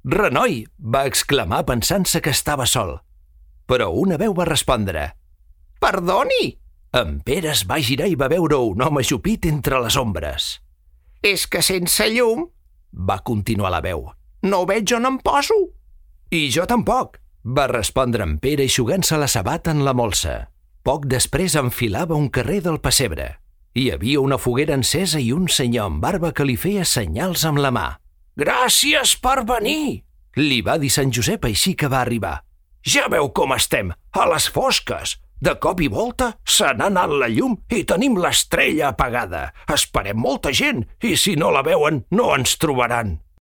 Renoi! Va exclamar pensant-se que estava sol. Però una veu va respondre. Perdoni! En Pere es va girar i va veure un home ajupit entre les ombres. És que sense llum, va continuar la veu, no veig on em poso. I jo tampoc, va respondre en Pere eixugant-se la sabata en la molsa. Poc després enfilava un carrer del pessebre. Hi havia una foguera encesa i un senyor amb barba que li feia senyals amb la mà. Gràcies per venir, li va dir Sant Josep així que va arribar. Ja veu com estem, a les fosques. De cop i volta se n'ha anat la llum i tenim l'estrella apagada. Esperem molta gent i si no la veuen no ens trobaran.